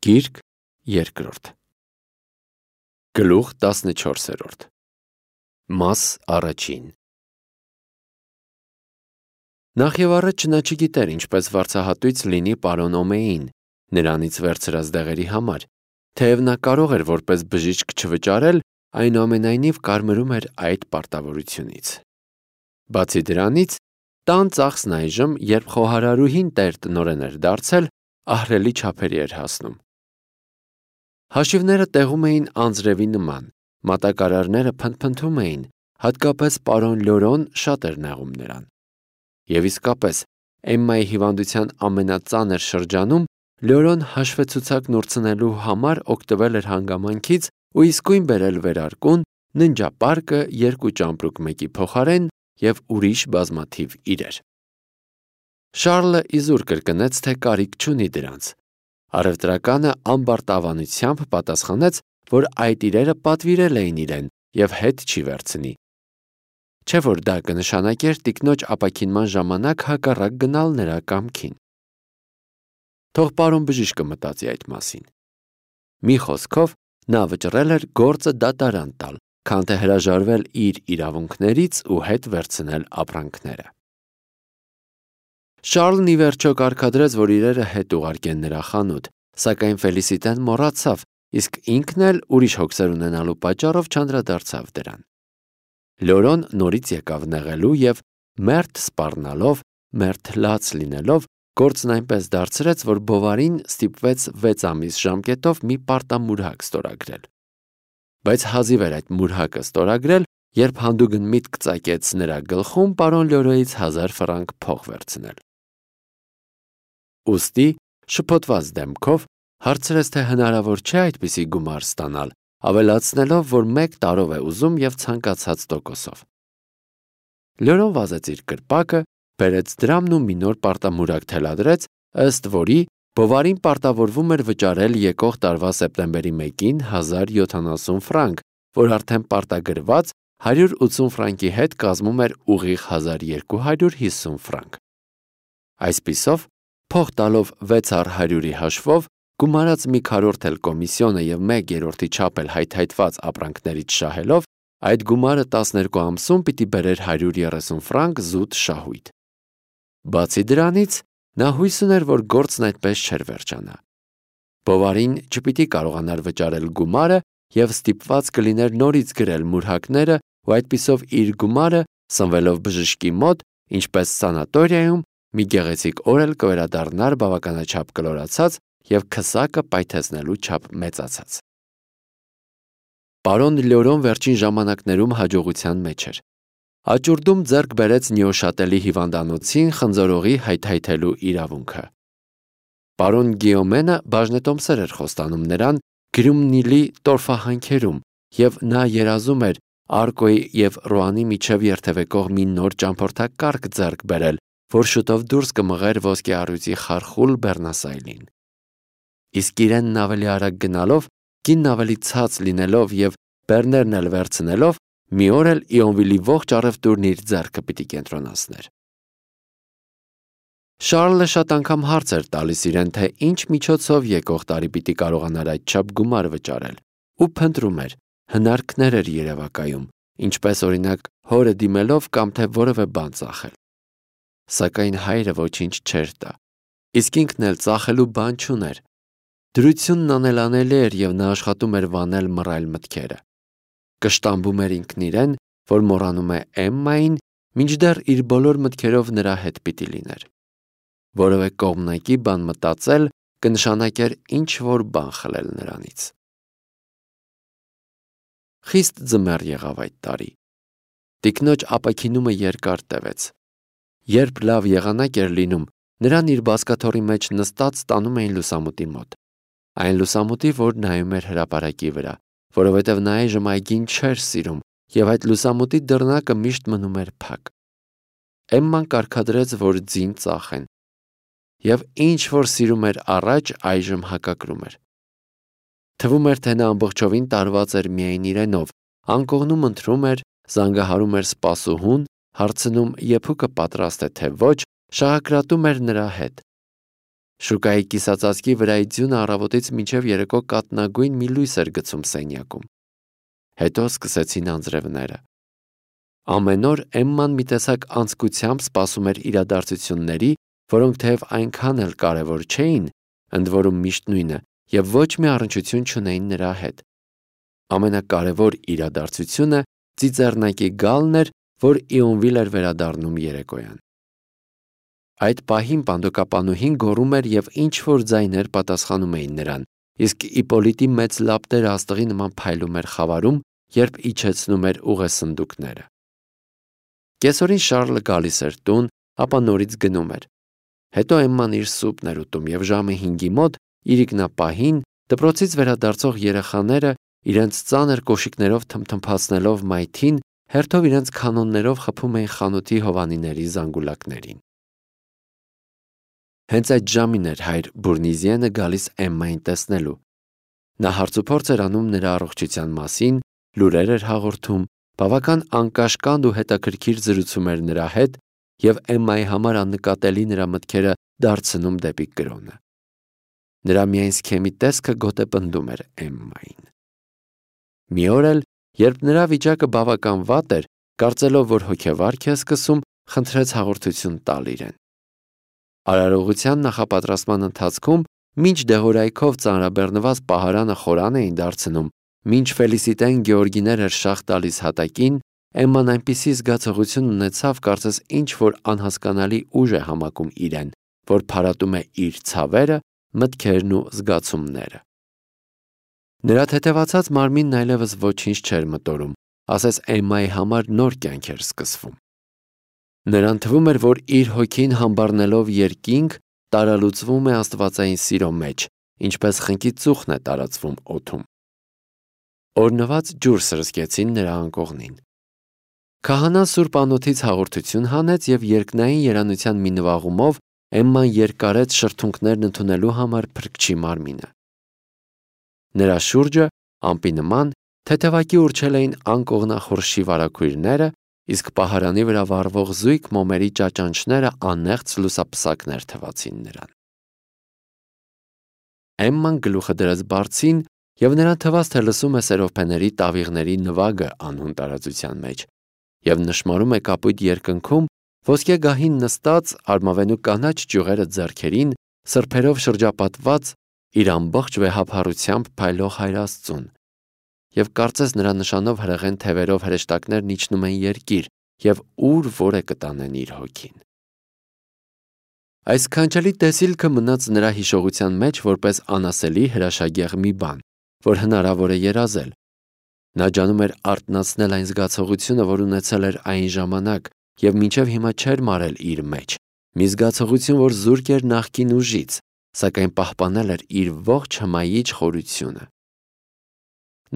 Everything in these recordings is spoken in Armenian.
Գիրք երկրորդ Գլուխ 14 Մաս առաջին Նախ և առաջ նա չգիտեր ինչպես վարձահատույց լինի պարոն Օմեին, նրանից վերցրած դեղերի համար, թեև նա կարող էր որպես բժիշկ չվճարել, այնուամենայնիվ կարմրում էր այդ պարտավորությունից։ Բացի դրանից, տան ծախսն այժմ, երբ խոհարարուհին տեր-տնօրեն էր դարձել, ահռելի չափերի էր հասնում։ Հաշիվները տեղում էին անձրևի նման, մատակարարները փնթփնթում էին, հատկապես պարոն Լյորոն շատ էր նեղում նրան։ Եվ իսկապես, Էմմայի հիվանդության ամենածանր շրջանում Լյորոն հաշվեցուցակ նորցնելու համար օգտվել էր հանգամանքից ու իսկույն բերել վերարկուն, ննջապարկը, 2 ճամպրուկ մեկի փոխարեն և ուրիշ բազմաթիվ իրեր։ Շառլը իզուր կրկնեց, թե կարիք չունի դրանց։ Առևտրականը ամբարտավանությամբ պատասխանեց, որ այդ իրերը պատվիրել էին իրեն և հետ չի վերցնի։ Չէ՞ որ դա կնշանակեր տիկնոջ ապաքինման ժամանակ հակառակ գնալ նրա կամքին։ Թող պարոն բժիշկը մտածի այդ մասին։ Մի խոսքով, նա վճռել էր գործը դատարան տալ, քան թե հրաժարվել իր իրավունքներից ու հետ վերցնել ապրանքները։ Շառլն ի վերջո կարգադրեց, որ իրերը հետ ուղարկեն նրա խանութ, սակայն Ֆելիսիտեն մոռացավ, իսկ ինքն էլ ուրիշ հոգսեր ունենալու պատճառով չանդրադարձավ դրան։ Լյորոն նորից եկավ նեղելու և մերթ սպառնալով, մերթ լաց լինելով, գործն այնպես դարձրեց, որ Բովարին ստիպվեց 6 ամիս ժամկետով մի պարտամուրհակ ստորագրել։ Բայց հազիվ էր այդ մուրհակը ստորագրել, երբ հանդուգն միտք ծագեց նրա գլխում պարոն Լյորոյից 1000 ֆրանկ փող վերցնել։ Ուստի, շփոթված դեմքով, հարցրեց, թե հնարավոր չէ այդպիսի գումար ստանալ, ավելացնելով, որ 1 տարով է ուզում և ցանկացած տոկոսով։ Լյորոն վազեց իր կրպակը, բերեց դրամն ու մի նոր պարտամուրհակ թելադրեց, ըստ որի Բովարին պարտավորվում էր վճարել եկող տարվա սեպտեմբերի 1-ին 1070 ֆրանկ, որ արդեն պարտագրված 180 ֆրանկի հետ կազմում էր ուղիղ 1250 ֆրանկ։ Այսպիսով, փող տալով 6/100-ի հաշվով, գումարած մի քառորդ էլ կոմիսիոնը և 1/3-ի չափ էլ հայթայթված ապրանքներից շահելով, այդ գումարը 12 ամսում պիտի բերեր 130 ֆրանկ զուտ շահույթ։ Բացի դրանից, նա հույս ուներ, որ գործն այդպես չէր վերջանա։ Բովարին չպիտի կարողանար վճարել գումարը և ստիպված կլիներ նորից գրել մուրհակները ու այդպիսով իր գումարը, սնվելով բժշկի մոտ, ինչպես սանատորիայում, մի գեղեցիկ օր էլ կվերադառնար բավականաչափ կլորացած և քսակը պայթեցնելու չափ մեծացած։ Պարոն Լյորոն վերջին ժամանակներում հաջողության մեջ էր։ Աճուրդում ձեռք բերեց Նյոշատելի հիվանդանոցին խնձորողի հայթայթելու իրավունքը։ Պարոն Գիոմենը բաժնետոմսեր էր խոստանում նրան Գրումնիլի տորֆահանքերում, և նա երազում էր Արկոյի և Ռոանի միջև երթևեկող մի նոր ճամփորդակարգ ձեռք բերել, որ շուտով դուրս կմղեր ոսկեառույցի խարխուլ Բեռնասայլին։ Իսկ իրենն ավելի արագ գնալով, կինն ավելի ցած լինելով և բեռներն էլ վերցնելով, մի օր էլ Իոնվիլի ողջ առևտուրն իր ձեռքը պիտի կենտրոնացներ։ Շառլը շատ անգամ հարց էր տալիս իրեն, թե ինչ միջոցով եկող տարի պիտի կարողանար այդչափ գումար վճարել, ու փնտրում էր, հնարքներ էր երևակայում, ինչպես օրինակ հորը դիմելով կամ թե որևէ բան ծախել։ Սակայն հայրը ոչինչ չէր տա, իսկ ինքն էլ ծախելու բան չուներ։ Դրությունն անելանելի էր և նա աշխատում էր վանել մռայլ մտքերը։ Կշտամբում էր ինքն իրեն, որ մոռանում է Էմմային, մինչդեռ իր բոլոր մտքերով նրա հետ պիտի լիներ։ Որևէ կողմնակի բան մտածել կնշանակեր ինչ-որ բան խլել նրանից։ Խիստ ձմեռ եղավ այդ տարի։ Տիկնոջ ապաքինումը երկար տևեց։ Երբ լավ եղանակ էր լինում, նրան իր բազկաթոռի մեջ նստած տանում էին լուսամուտի մոտ։ Այն լուսամուտի, որ նայում էր հրապարակի վրա, որովհետև նա այժմ այգին չէր սիրում, և այդ լուսամուտի դռնակը միշտ մնում էր փակ։ Էմման կարգադրեց, որ ձին ծախեն։ Եվ ինչ որ սիրում էր առաջ, այժմ հակակրում էր։ Թվում էր, թե նա ամբողջովին տարված էր միայն իրենով, անկողնում ընթրում էր, զանգահարում էր սպասուհուն, հարցնում եփուկը պատրաստ է թե ոչ, շաղակրատում էր նրա հետ։ Շուկայի կիսածածկի վրայի ձյունը առավոտից մինչև երեկո կատնագույն մի լույս էր գցում սենյակում։ Հետո սկսեցին անձրևները։ Ամեն օր Էմման մի տեսակ անձկությամբ սպասում էր իրադարձությունների, որոնք թեև այնքան էլ կարևոր չէին, ընդ որում միշտ նույնը, եւ ոչ մի առնչություն չունեին նրա հետ։ Ամենակարևոր իրադարձությունը ծիծեռնակի գալն էր, որ Իոնվիլ էր վերադառնում երեկոյան։ Այդ պահին պանդոկապանուհին գոռում էր եւ ինչ-որ ձայներ պատասխանում էին նրան, իսկ Իպոլիտի մեծ լապտերը աստղի նման փայլում էր խավարում, երբ իջեցնում էր ուղեսնդուկները։ Կեսօրին Շարլը գալիս էր տուն, ապա նորից գնում էր։ Հետո Էմման իր սուպն էր ուտում եւ ժամը 5-ի մոտ իրիկնապահին դպրոցից վերադարձող երեխաները իրենց ծանր կոշիկներով թմթմփացնելով մայթին հերթով իրենց քանոններով խփում էին խանութի հովանիների զանգուլակներին։ Հենց այդ ժամին էր հայր Բուրնիզիենը գալիս Էմմային տեսնելու։ Նա հարցուփորձ էր անում նրա առողջության մասին, լուրեր էր հաղորդում, բավական անկաշկանդ ու հետաքրքիր զրուցում էր նրա հետ եւ Էմմայի համար աննկատելի նրա մտքերը դարձնում դեպի կրոնը։ Նրա միայն սքեմի տեսքը գոտեպնդում էր Էմմային։ Մի օր էլ, երբ նրա վիճակը բավական վատ էր, կարծելով, որ հոգեվարք է սկսում, խնդրեց հաղորդություն տալ իրեն։ Արարողության նախապատրաստման ընթացքում մինչ դեղորայքով ծանրաբեռնված պահարանը խորան էին դարձնում, մինչ Ֆելիսիտեն Գեորգիներ էր շաղ տալիս հատակին, Էմման այնպիսի զգացողություն ունեցավ, կարծես ինչ-որ անհասկանալի ուժ է համակում իրեն, որ փարատում է իր ցավերը, մտքերն ու զգացումները։ Նրա թեթևացած մարմինն այլևս ոչինչ չէր մտորում, ասես Էմմայի համար նոր կյանք էր սկսվում։ Նրան թվում էր, որ իր հոգին համբառնելով երկինք տարալուծվում է աստվածային սիրո մեջ, ինչպես խնկի ծուխն է տարածվում օդում։ Օրնված ջուր սրսկեցին նրա անկողնին։ Քահանան սուրբ անոթից հաղորդություն հանեց եւ երկնային երանության մի նվաղումով Էմման երկարեց շրթունքներն ընդունելու համար փրկչի մարմինը։ Նրա շուրջը, ամպի նման, թեթևակի ուռչել էին անկողնախորշի վարագույրները, իսկ պահարանի վրա վառվող զույգ մոմերի ճաճանճները անեղծ լուսապսակներ թվացին նրան։ Էմման գլուխը դրեց բարձին եւ նրան թվաց, թե լսում է սերովփեների տավիղների նվագը անհուն տարածության մեջ եւ նշմարում է կապույտ երկնքում ոսկե գահին նստած արմավենու կանաչ ճյուղերը ձեռքերին, սրբերով շրջապատված իր ամբողջ վեհափառությամբ փայլող Հայր Աստծուն, եւ կարծես նրա նշանով հրեղեն թևերով հրեշտակներն իջնում են երկիր եւ ուր որ է կտանեն իր հոգին։ Այս քանչելի տեսիլքը մնաց նրա հիշողության մեջ որպես անասելի հրաշագեղ մի բան, որ հնարավոր է երազել։ Նա ջանում էր արթնացնել այն զգացողությունը, որ ունեցել էր այն ժամանակ եւ մինչեւ հիմա չէր մարել իր մեջ, մի զգացողություն, որ զուրկ էր նախկին ուժից, սակայն պահպանել էր իր ողջ հմայիչ խորությունը։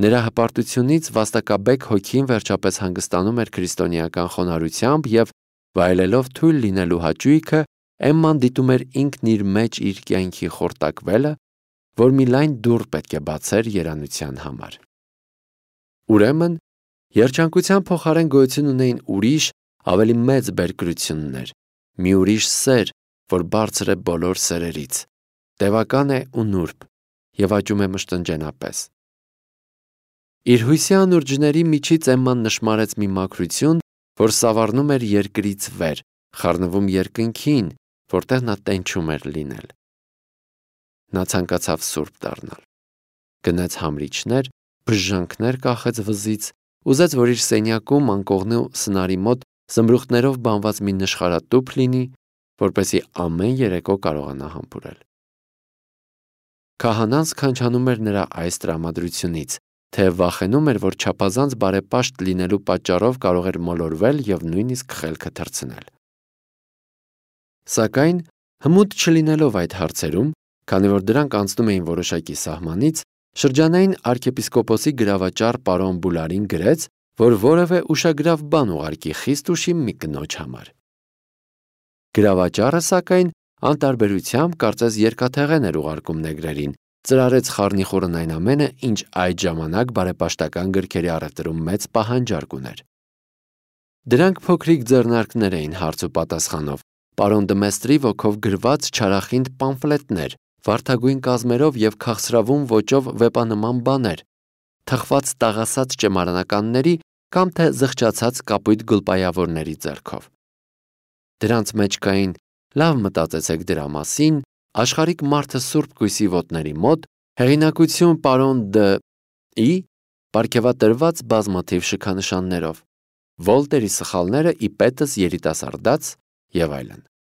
Նրա հպարտությունից վաստակաբեկ հոգին վերջապես հանգստանում էր քրիստոնեական խոնարհությամբ եւ վայելելով թույլ լինելու հաճույքը, Էմման դիտում էր ինքն իր մեջ իր կյանքի խորտակվելը, որ մի լայն դուռ պետք է բացեր երանության համար։ Ուրեմն, երջանկության փոխարեն գոյություն ունեին ուրիշ, ավելի մեծ բերկրություններ, մի ուրիշ սեր, որ բարձր է բոլոր սերերից, տևական է ու նուրբ եւ աճում է մշտնջենապես։ Իր հույսի անուրջների միջից Էմման նշմարեց մի մաքրություն, որ սավառնում էր երկրից վեր, խառնվում երկնքին, որտեղ նա տենչում էր լինել։ Նա ցանկացավ սուրբ դառնալ։ Գնաց համրիչներ, բժժանքներ կախեց վզից, ուզեց, որ իր սենյակում անկողնու սնարի մոտ զմրուխտներով բանված մի նշխարատուփ լինի, որպեսզի ամեն երեկո կարողանա համբուրել։ Քահանան սքանչանում էր նրա այս տրամադրությունից, թե վախենում էր, որ չափազանց բարեպաշտ լինելու պատճառով կարող էր մոլորվել եւ նույնիսկ խելքը թռցնել։ Սակայն հմուտ չլինելով այդ հարցերում, քանի որ դրանք անցնում էին որոշակի սահմանից, շրջանային arczepiskoposi գրավաճառ պարոն Բուլարին գրեց, որ որևէ ուշագրավ բան ուղարկի խիստ ուշի մի կնոջ համար։ Գրավաճառը, սակայն, անտարբերությամբ կարծես երկաթեղեն էր ուղարկում նեգրերին, ծրարեց խառնիխուռն այն ամենը, ինչ այդ ժամանակ բարեպաշտական գրքերի առևտրում մեծ պահանջարկ ուներ։ Դրանք փոքրիկ ձեռնարկներ էին հարց ու պատասխանով, պարոն Դմեստրի ոգով գրված չարախինդ պամֆլետներ, վարդագույն կազմերով և քաղցրավուն ոճով վեպանման բաներ, թխված տաղասած ճեմարանականների կամ թե զղջացած կապույտ գուլպայավորների ձեռքով։ Դրանց մեջ կային «Լավ մտածեցեք դրա մասին», «Աշխարհիկ մարդը Սուրբ Կույսի ոտների մոտ», հեղինակություն պարոն Դ.ի, պարգևատրված բազմաթիվ շքանշաններով, Վոլտերի սխալները ի պետս երիտասարդաց և այլն։